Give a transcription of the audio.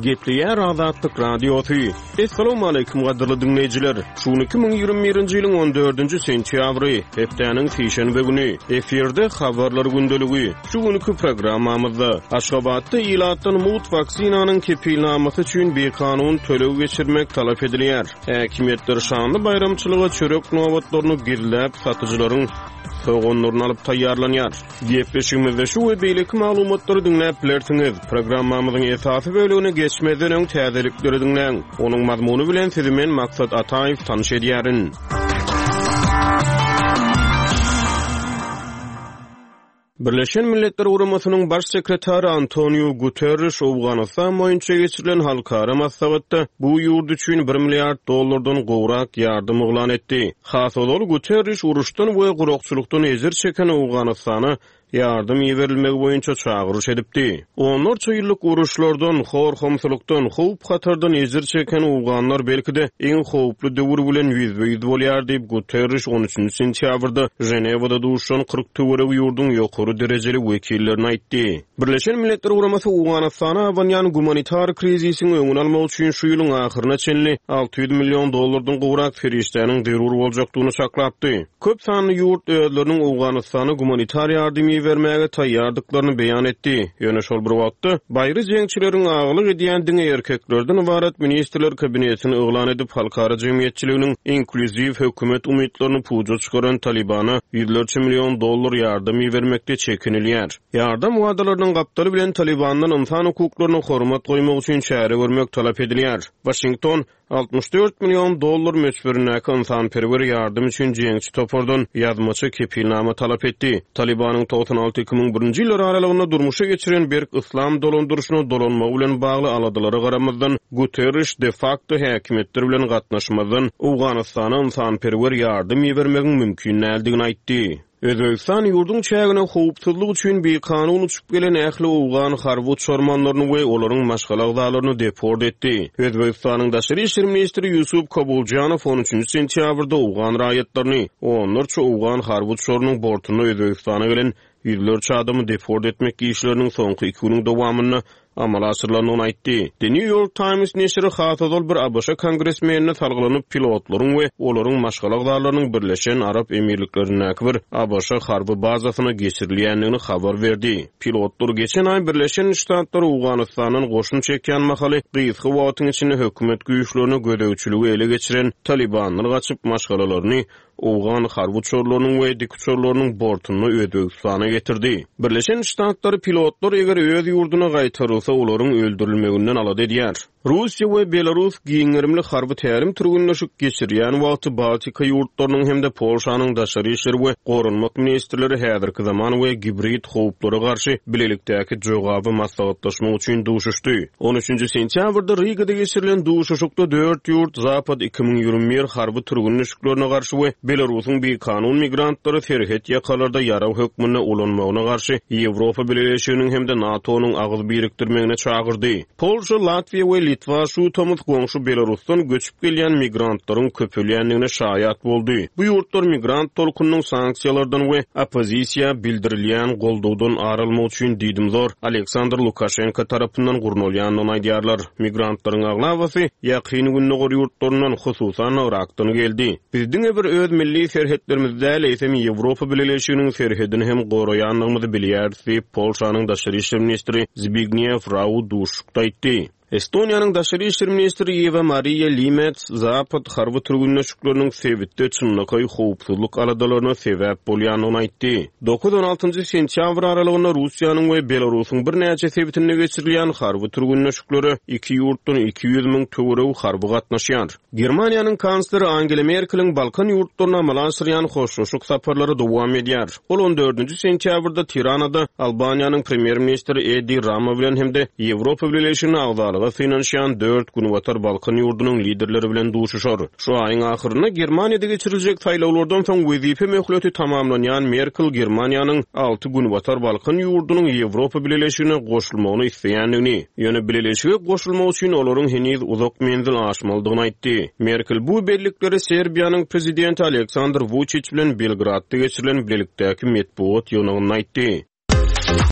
Gepleýär Azatlyk Radiosy. Essalawmaleýkim gadyrly diňleýjiler! Şu gün 2021-nji ýylyň on dördünji sentýabry, hepdäniň sişenbe güni. Efirde Habarlar gündeligi. Şu günki programmamyzda, Aşgabatda ilatdan mugt waksinanyň kepilnamasy üçin bikanun töleg geçirmek talap edilýär. Häkimiýetler şanly baýramçylyga çörek nobatlaryny gizläp, satyjylaryň soganlaryny alyp taýýarlanýar. Gepleşigimizde şu we beýleki maglumatlary diňläp bilersiňiz. Programmamyzyň esasy bölegine geçmezden öň täzelikleri diňläň. Onuň mazmuny bilen sizi men Maksat Ataýew tanyş edýärin. Birleşen Milletler Guramasynyň Baş sekretary Antoniu Guterriş Owganystan boýunça geçirilen halkara maslahatda bu ýurt üçin bir milliard dollardan gowrak ýardam yglan etdi. Has ozal Guterriş uruşdan we gurakçylykdan ejir çeken Owganystana ýardam iberilmegi boýunça çagyryş edipdi. Onlarça ýyllyk uruşlardan, hor-homsulykdan, howp-hatardan ejir çeken owganlar belki-de iň howply döwür bilen ýüzbe-ýüz bolýar diýip, Guterriş on üçünji sentýabrda Ženewada duşuşan 40 töweregi ýurduň ýokary derejeli wekillerine aýtdy. Birleşen Milletler Guramasy Owganystana abanýan gumanitar krizisiň öňüni almak üçin şu ýylyň ahyryna çenli 600 million dollardan gowrak serişdäniň zerur boljakdygyny çaklapdy. Köp sanly ýurt özleriniň Owganystana gumanitar ýardam ibermäge taýýardyklaryny beýan etdi. Ýöne şol bir wagtda, baýry jeňçileriň agalyk edýän diňe erkeklerden ybarat ministrler kabinetini yglan edip, halkara jemgyýetçiliginiň inklýuziw hökümet umytlaryny puja çykaran Talybana ýüzlerçe million dollar ýardam ibermekde çekinilýär. Ýardam wadalarynyň gapdaly bilen Talybandan ynsan hukuklaryna hormat goýmak üçin çäre görmek talap edilýär. Waşington 64 million dollar möçberindäki ynsanperwer ýardam üçin jeňçi topardan ýazmaça kepilnama talap etdi. Talybanyň 96 2001-nji ýyllar aralygynda durmuşa geçiren berk yslam dolandyryşyna dolanmagy bilen bagly aladalara garamazdan, Guterriş de-fakto häkimiýetler bilen gatnaşmazdan Owganystana ynsanperwer ýardam ibermegiň mümkin däldigini aýtdy. Özbegistan ýurduň çägine howpsuzlyk üçin bikanun uçup gelen ähli owgan harby uçarmanlaryny we olaryň maşgala agzalaryny deport etdi. Özbegistanyň daşary işler ministri Ýusup Kabuljanow on üçünji sentýabrda owgan raýatlaryny, onlarça owgan harby uçarynyň bortunda Özbegistana gelen ýüzlerçe adamy deport etmek işleriniň soňky iki günüň dowamynda amala aşyrylandygyny aýtdy. The New York Times neşiri has ozal bir ABŞ kongresmenine salgylanyp, pilotlaryň we olaryň maşgala agzalarynyň Birleşen Arap Emirliklerindäki bir ABŞ harby bazasyna geçirilýändigini habar berdi. Pilotlar geçen aý Birleşen Ştatlar Owganystandan goşun çekýän mahaly gysga wagtyň içinde hökümet güýçlerine gözegçiligi ele geçiren Talybandan gaçyp, maşgalalaryny Owgan harby uçarlarynyň we dikuçarlarynyň bortunda Özbegistana getirdi. Birleşen Ştatlary pilotlar eger öz ýurduna gaýtarylsa olaryň öldürilmeginden alada edýär. Russiýa we Belarus giň gerimli harby tälim-türgenleşik geçirýän wagty Baltika ýurtlarynyň hem-de Polşanyň daşary işler we goranmak ministrleri häzirki zaman we gibrid howplara garşy bilelikdäki jogaby maslahatlaşmak üçin duşuşdy. On üçünji sentýabrda Rigada geçirilen duşuşykda dört ýurt Zapad 2021 harby türgenleşiklerine garşy we Belarusyň bikanun migrantlary serhet ýakalarda ýarag hökmünde ulanmagyna garşy Ýewropa Bileleşiginiň hem-de NATO-nyň agyz birikdirmegine çagyrdy. Polşa, Latwiýa we Litwa şu tomus goňşy Belarusdan göçüp gelýän migrantlaryň köpelýändigine şaýat boldy. Bu ýurtlar migrant tolkunynyň sanksiýalardan we oppozisiýa bildirilýän goldawdan ar almak üçin diýdimzor Aleksandr Lukaşenko tarapyndan gurnalýandygyny aýdýarlar. Migrantlaryň aglabasy Ýakyn Gündogar ýurtlaryndan, hususan-da, Yrakdan geldi. Biz diňe bir öz milli serhetlerimizi däl, eýsem Ýewropa Bileleşiginiň serhedini hem goraýandygymyzy bilýäris diýip, Polşanyň daşary işler ministri Zbigniew Rau duşuşykda aýtdy. Estoniýanyň daşary işler ministri Ýewa Mariýa Limets Zapad harby türgenleşikleriniň sebitde çynlakaý howpsuzlyk aladalaryna sebäp bolýandygyny aýtdy. Dokuz-on altynjy sentýabr aralygynda Russiýanyň we Belarusyň birnäçe sebitinde geçirilýän harby türgenleşiklere iki ýurtdan 200 müň töweregi harby gatnaşýar. Germaniýanyň kansleri Angela Merkeliň Balkan ýurtlaryna amala aşyrýan hoşlaşyk saparlary dowam edýär. Ol on dördünji sentýabrda Tiranada Albaniýanyň premýer-ministri Edi Rama bilen hem-de Ýewropa Bileleşigine agzalyga synanyşýan dört Günbatar Balkan ýurdunyň liderleri bilen duşuşar. Şu aýyň ahyrynda Germaniýada geçiriljek saýlawlardan soň wezipe möhleti tamamlanýan Merkel Germaniýanyň alty Günbatar Balkan ýurdunyň Ýewropa Bileleşigine goşulmagyny isleýändigini, ýöne Bileleşige goşulmak üçin olaryň heniz uzak menzil aşmalydygyny aýtdy. Merkel bu bellikleri Serbiýanyň prezidenti Aleksandr Wuçiç bilen Belgradda geçirilen bilelikdäki metbugat ýygnagynda aýtdy.